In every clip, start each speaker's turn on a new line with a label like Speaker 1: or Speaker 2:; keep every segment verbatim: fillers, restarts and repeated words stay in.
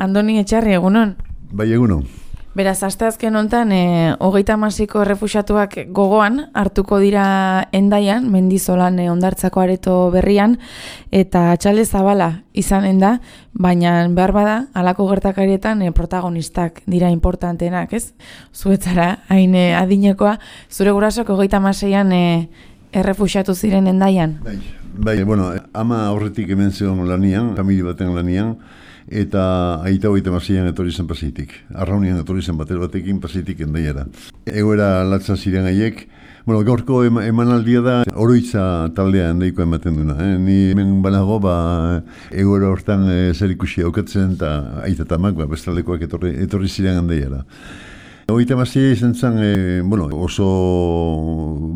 Speaker 1: Andoni Etxarri, egunon?
Speaker 2: Bai, egunon.
Speaker 1: Beraz, asteazken hontan, e, hogeita hamasiko errefuxiatuak gogoan hartuko dira Hendaian, Mendizolan e, hondartzako areto berrian, eta txale zabala izanen da, baina behar bada, halako gertakarietan e, protagonistak dira importantenak, ez? Zuetzara, hain e, adinekoa, zure gurasok hogeita hamaseian e, errefuxiatu ziren Hendaian?
Speaker 2: Bai, bai, bueno, ama aurretik hemen zegoen lanian, familia baten lanian, eta aita hogeita hamaseian etorri zen Pasitik. Arraunian etorri zen bater batekin Pasitik Hendaiara. Egoera latza ziren haiek. Bueno, gaurko emanaldia da oroitza taldea Hendaiko ematen duna. Eh? Ni hemen banago, ba, egoera hortan e, zer ikusi aukatzen, eta aita tamak, ba, bestaldekoak etorri, etorri ziren Hendaiara. Hogeita hamasei izan zen, e, bueno, oso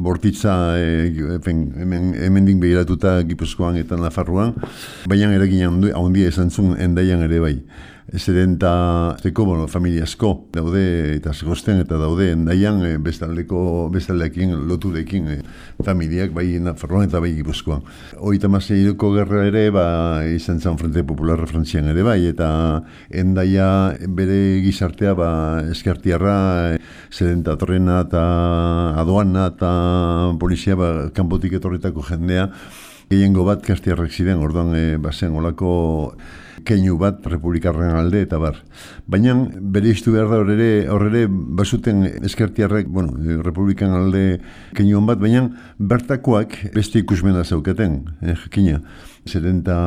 Speaker 2: bortitza e, hemen, hemendik begiratuta Gipuzkoan eta Nafarroan, baina eragin handia izan zuen Hendaian ere bai. Zeren eta zeko, bueno, familia asko daude eta zegozten eta daude Hendaian e, bestaldeko, bestaldeekin, loturekin e, familiak bai Nafarroan eta bai Gipuzkoan. Hogeita hamaseieko gerra ere ba, izan zen Frente Popularra Frantzian ere bai, eta Hendaia bere gizartea ba, eskertiarra, zeren eta torrena eta aduana eta polizia ba, kanpotik etorritako jendea, gehiengo bat kastiarrak ziren, orduan e, bazen olako keinu bat republikarren alde eta bar. Baina bere iztu behar da horre, horre basuten eskertiarrek, bueno, republikan alde keinuan bat, baina bertakoak beste ikusmena zaukaten, eh, jakina. Zeren eta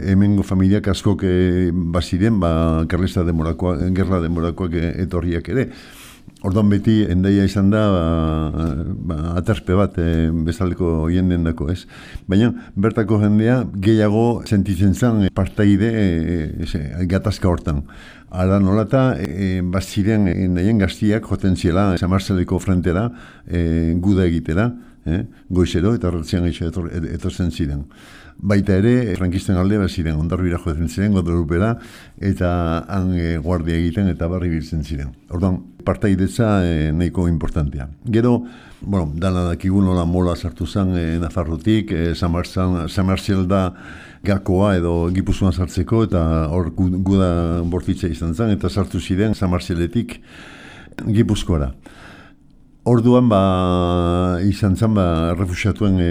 Speaker 2: hemengo familiak askok e, baziren, ba, gerla demorakoak, gerla demorakoak etorriak ere. Orduan beti Hendaia izan da ba, ba, aterspe bat e, bezaleko jenden dako, ez? Baina bertako jendea gehiago sentitzen zen e, partaide e, e, gatazka hortan. Hala nolata, e, baziren Hendaien gaztiak joten ziela San Marceleko frentera e, guda egitera, e, goizero eta ratzian gaitxo etor, etorzen ziren. Baita ere, frankisten alde bat ziren, Ondarbira joaten ziren, Guadalupera, eta han e, guardia egiten eta barri biltzen ziren. Orduan, partaidetza e, nahiko importantea. Gero, bueno, dana dakigun nola mola sartu zen e, Nafarrotik, e, San Marcial da gakoa edo Gipuzkoan sartzeko, eta hor guda bortitza izan zen, eta sartu ziren San Marcialetik Gipuzkoara. Orduan ba, izan zen ba, refuxiatuen e,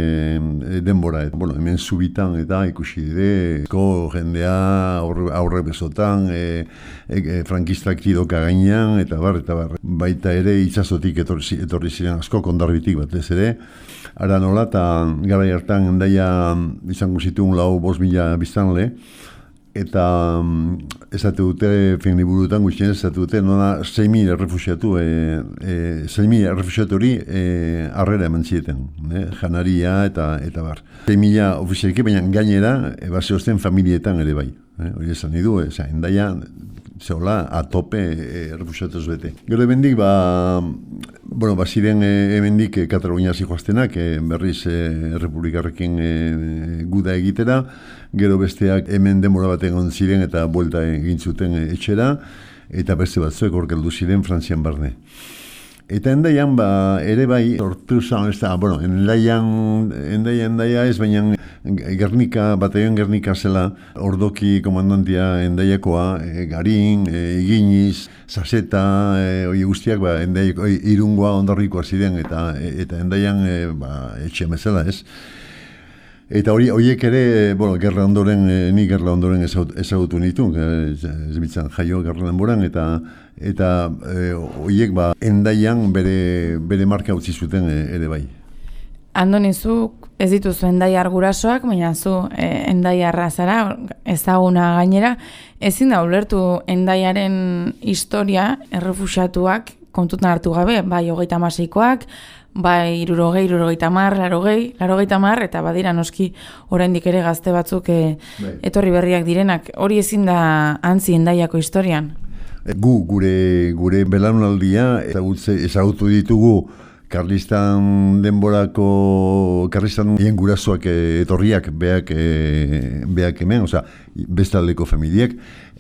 Speaker 2: e, denbora. Et, bueno, hemen zubitan eta ikusi dire, ko jendea aurre, aurre besotan, e, e, e, frankistak tidoka gainean, eta bar, eta bar. Baita ere itsasotik etorri, etorri ziren asko, kondarbitik batez ere. Ara nola, eta gara hartan Hendaia izango zituen lau bost mila biztanle, eta um, esate dute, fin liburutan guztien esate dute, nola sei mila errefuxiatu, e, e, sei mila errefuxiatori e, arrera eman zieten, e, janaria eta eta bar. sei mila ofizialki, baina gainera, e, base osten familietan ere bai. E, hori esan nidu, e, Hendaia, zehola, atope e, errefuxiatuz bete. Gero ebendik, ba, bueno, baziren e, ebendik e, Kataluniaz joaztenak, e, berriz e, Republikarrekin e, guda egitera, gero besteak hemen denbora bat egon ziren eta buelta egin zuten etxera, eta beste batzuek orkeldu ziren Frantzian barne. Eta Hendaian ba, ere bai, sortu zan, ez da, bueno, Hendaian, Hendaia, Hendaia ez, baina Gernika, bataion Gernika zela, ordoki komandantia Hendaiakoa, e, Garin, e, Iginiz, Zazeta, e, oi guztiak, ba, Hendaiako, Irungoa ondarrikoa ziren, eta, eta Hendaian e, ba, etxe bezala ez. Eta hori horiek ere, bueno, gerra ondoren, e, ni gerra ondoren ezagutu nitu, ez bitzan jaio gerra denboran, eta eta e, horiek ba, Hendaian bere, bere marka utzi zuten e, ere bai.
Speaker 1: Andoni, zuk ez dituzu Hendaiar gurasoak, baina zu e, Hendaiarra zara, ezaguna gainera, ezin da ulertu Hendaiaren historia errefuxiatuak kontutan hartu gabe, bai hogeita hamaseikoak, bai irurogei, irurogeita hamar, larogei, larogeita hamar, eta badira noski oraindik ere gazte batzuk e, etorri berriak direnak. Hori ezin da antzi Hendaiako historian?
Speaker 2: Gu, gure, gure belaunaldia ezagutu ditugu Karlistan denborako, Karlistan hien gurasoak etorriak beak, e, beak hemen, oza, bestaldeko familiak.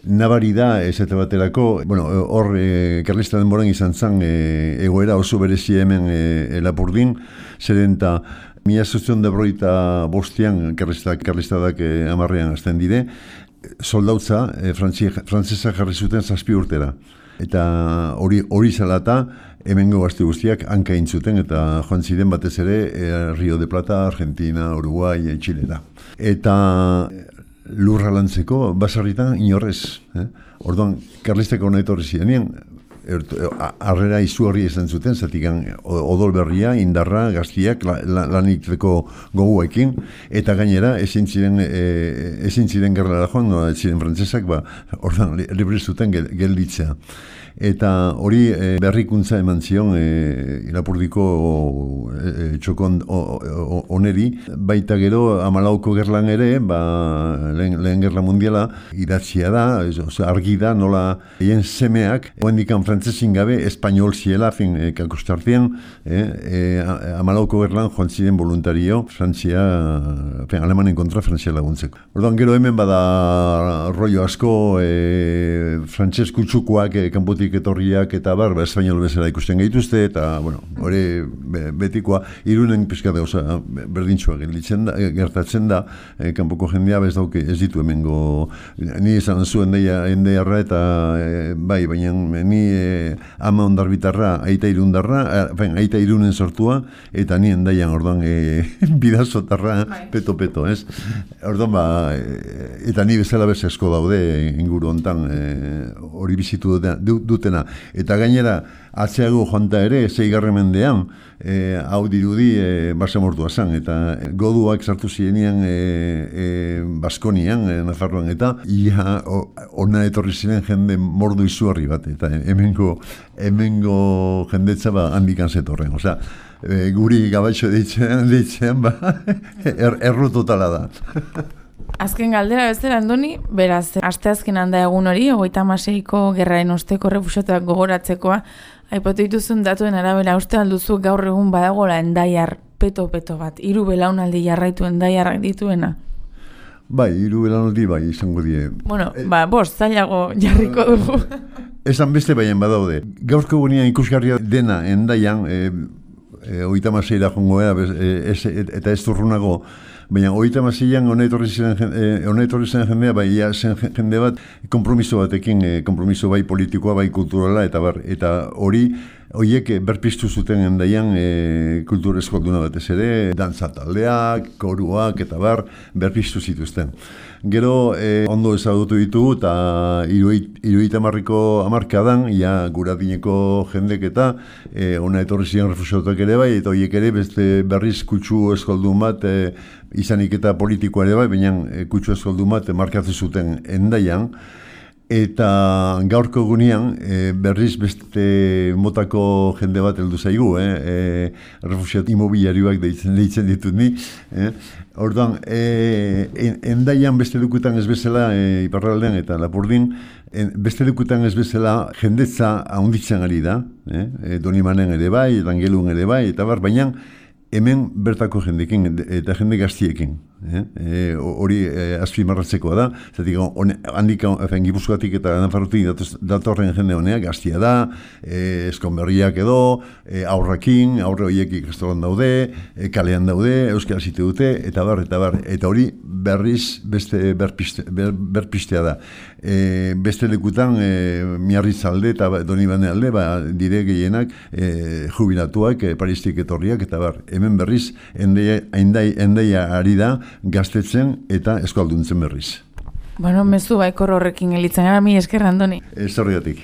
Speaker 2: Nabari da, ez eta baterako, bueno, hor, e, Karlistan denboran izan zen e, egoera oso berezi hemen e, Lapurdin, zeren eta mila zazpiehun eta berrogeita bostean Karlistadak e, amarrean hasten dire, soldautza e, frantzesa jarri zuten zazpi urtera. Eta hori hori zalata, hemengo gazte guztiak hanka intzuten, eta joan ziren batez ere e, Rio de Plata, Argentina, Uruguay, e, Txilera. Eta lurra lantzeko, basarritan inorrez. Eh? Orduan, karlisteko hona etorri zirenien, harrera izugarri izan zuten, zatikan odol berria, indarra, gaztiak, la, la, lanitzeko goguekin, eta gainera, ezin ziren, e, ezin ziren gerlara joan, no, ez ziren frantzesak, ba, ordan, libre zuten gel, gelditzea. Eta hori e, berrikuntza eman zion e, Lapurdiko e, txokon oneri, baita gero amalauko gerlan ere, ba, lehen, lehen gerla mundiala, idatzia da, oza, argi da, nola hien semeak, oendikan frantzesin gabe, espainol ziela, fin, e, kakostartien, e, e, amalauko gerlan joan ziren voluntario, Frantzia, fin, Alemanen kontra Frantzia laguntzeko. Orduan gero hemen bada rollo asko, e, frantses kutsukoak e, kanpotik etorriak eta bar, ba, espainol bezala ikusten gaituzte, eta, bueno, hori be, betikoa, irunen pizkate, oza, berdintxoa gelditzen da, gertatzen da, e, kanpoko jendea bez dauke, ez ditu hemengo, ni esan zuen deia, endearra eta, e, bai, baina ni e, ama ondarbitarra, aita irundarra, e, aita irunen sortua, eta ni endaian, orduan, e, bidazotarra, peto-peto, ez? Orduan, ba, e, eta ni bezala bez asko daude, inguru hontan, hori e, bizitu dute, dutena. Eta gainera, atzeago joanta ere, zeigarren mendean, e, hau dirudi e, basamortua zan, eta goduak sartu zirenean e, e, Baskonian, e, Nafarroan, eta ia ona etorri ziren jende mordu izugarri bat, eta hemengo, hemengo jendetza ba, handikan zetorren. Osea, e, guri gabaitxo deitzen, deitzen ba, er, erru totala da.
Speaker 1: Azken galdera bezala, Andoni, beraz, asteazken handa egun hori, hogeita hamaseiko gerraren osteko refuxiatuak gogoratzekoa, aipatu dituzun datuen arabera uste alduzu gaur egun badagola endaiar peto-peto bat, hiru belaunaldi jarraitu endaiarrak dituena?
Speaker 2: Bai, hiru belaunaldi bai, izango die.
Speaker 1: Bueno, e, ba, bost, zailago jarriko dugu.
Speaker 2: Esan beste baien badaude. Gaurko gunean ikusgarria dena endaian, e, e, hogeita hamaseira jongo era, e, eta ez turrunago, baina hogeita hamaseian hona etorri zen jendea, bai, ja, zen jende bat konpromiso batekin, e, konpromiso bai politikoa, bai kulturala, eta bar, eta hori, horiek berpiztu zuten endaian e, kultur eskolduna batez ere, dantza taldeak, koruak, eta bar, berpiztu zituzten. Gero, e, ondo ezagutu ditugu, eta hirurogeita hamarriko hamarkadan, ja, guradineko jendek eta e, hona etorri ziren refuxiatuak ere bai, eta horiek ere beste berriz kutsu eskoldun bat, e, izanik eta politikoa ere bai, baina e, kutsu eskoldun bat e, markatu zuten endaian, eta gaurko gunean e, berriz beste motako jende bat heldu zaigu, eh? e, refuxiat imobiliarioak deitzen, deitzen ditut ni. Eh? Orduan, e, endaian beste dukutan ez bezala, e, Iparraldean eta Lapurdin, en, beste dukutan ez bezala jendetza haunditzen ari da, eh? e, Donimanen ere bai, Erangelun ere bai, eta bar, baina hemen bertako jendekin eta jende gaztiekin. Hori eh? e, azpimarratzekoa da. Zatik, handik, Gipuzkoatik eta Nafarrotik datorren jende honea gaztia da, e, eskonberriak edo, e, aurrakin, aurre horiek ikastolan daude, e, kalean daude, euskara zite dute, eta bar, eta bar. Eta hori berriz beste berpiste, ber, berpistea da. E, beste lekutan, e, Miarritzalde eta Donibane alde, ba, dire gehienak e, jubilatuak, e, Paristik etorriak, eta bar. Hemen berriz, endeia, endeia, endeia ari da, gaztetzen eta eskalduntzen berriz.
Speaker 1: Bueno, mezu baikor horrekin elitzen gara, mi esker, Andoni.
Speaker 2: Ez horregatik.